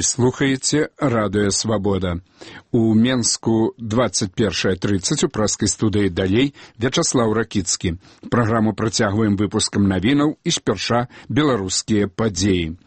Вы слухаеце радыё Свабода. У Менску 21:30 у праскай студыі далей Вячаслаў Ракіцкі. Праграму працягваем выпускам навінаў і спярша беларускія падзеі.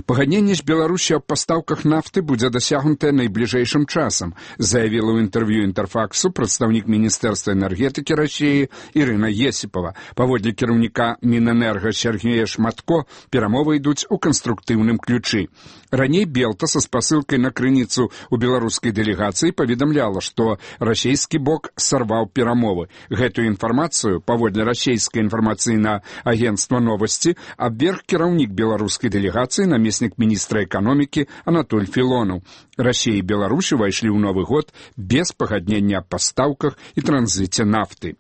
Пагадненне з Беларусі аб пастаўках нафты будзе дасягнутае найбліжэйшым часам, заявіла ў інтэрв'ю Інтэрфаксу прадстаўнік Міністэрства энергетыкі Расіі Ірына Есіпава. Паводле кіраўніка Мінэнерга Сергея Шматко, перамовы ідуць у канструктыўным ключы. Раней Белта со спасылкай на крыніцу у беларускай дэлегацыі паведамляла, што расійскі бок сарваў перамовы. Гэтую інфармацыю, паводле расійскае інфармацыйнае агенцтва новасці, абверг кіраўнік беларускай дэлегацыі, намеснік міністра эканомікі Анатоль Філонаў. Расія і Беларусь увайшлі ў Новы год без пагаднення аб пастаўках і транзіце нафты.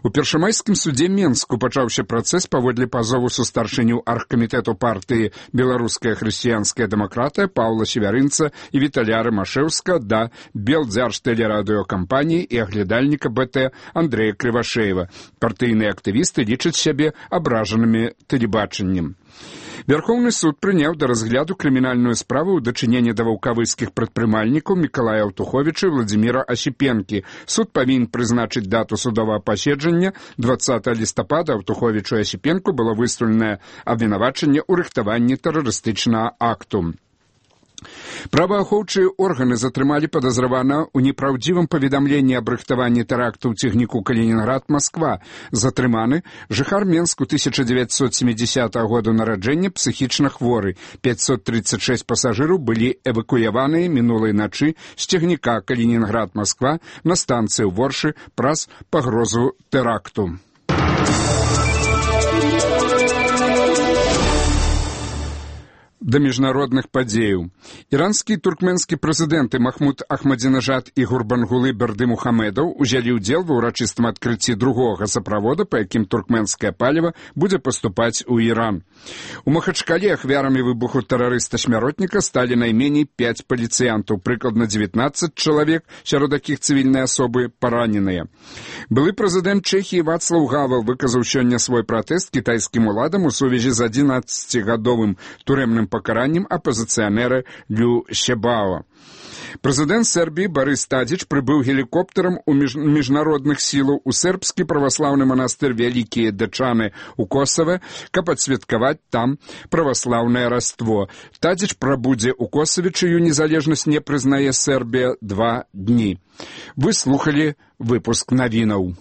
У першамайскім судзе Менску пачаўся працэс паводле пазову сустаршыню аргкамітэту партыі «Беларуская хрысціянская дэмакратыя» Паўла Севярынца і Віталя Рымашэўска да Белдзяржтэлерадыёкампаніі і аглядальніка БТ Андрэя Крывашэева. Партыйныя актывісты лічаць сябе абражанымі тэлебачаннем. Верховны суд прыняў да разгляду крымінальную справу ў дачыненні да ваўкавыцкіх прадпрымальнікаў Мікалая Аўтуховіча і Владзіміра Асіпенкі. Суд павінен прызначыць дату судовага паседжання. 20 лістапада Аўтуховічу і Асіпенку было выстаўленае абвінавачанне ў рыхтаванні тэрарыстычнага акту. Праваахоўчыя органы затрымалі падазравана ў непраўдзівым паведамленні аб рыхтаванні тэракту ў цягніку Калінінград-Масква. Затрыманы жыхар Менску 1970 года нараджэння, псіхічна хворы. 536 пасажыраў былі эвакуяваныя мінулай начы з цягніка Калінінград-Масква на станцыю Воршы праз пагрозу тэракту. Да міжнародных падзеяў. Іранскі і туркменскі прэзідэнты Махмуд Ахмадзінажад і Гурбангулы Бердымухамедаў узялі ўдзел ва ўрачыстым адкрыцці другога газаправода, па якім туркменскае паліва будзе паступаць у Іран. У Махачкале ахвярамі выбуху тэрарыста-смяротніка сталі найменей 5 паліцыянтаў, прыкладна 19 чалавек, сярод якіх цывільныя асобы параненыя. Былы прэзідэнт Чэхіі Вацлаў Гавел выказаў сёння свой пратэст кітайскім уладам у сувязі з 11-гадовым турэмным пакараннем апазіцыянера Лю Щебао. Прэзідэнт Сербіі Барыс Тадзіч прыбыў гелікоптарам у міжнародных сілаў у сербскі праваслаўны манастыр Вялікія Дачаны ў Косаве, каб адсвяткаваць там праваслаўнае раство. Тадзіч прабудзе ў Косаве, чыю незалежнасць не прызнае Сербія 2 дні. Вы слухалі выпуск навінаў.